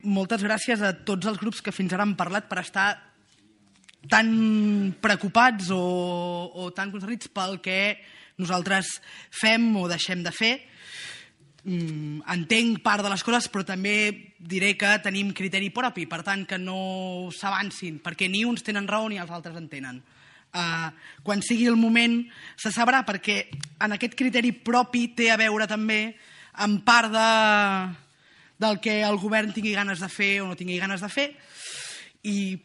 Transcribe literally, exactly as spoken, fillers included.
moltes gràcies a tots els grups que fins ara han parlat per estar tan preocupats o, o tan concernits pel que nosaltres fem o deixem de fer. Mm, entenc part de les coses, però també diré que tenim criteri propi, per tant que no s'avancin, perquè ni uns tenen raó ni els altres en tenen. Uh, quan sigui el moment se sabrà, perquè en aquest criteri propi té a veure també en part de, del que el govern tingui ganes de fer o no tingui ganes de fer, i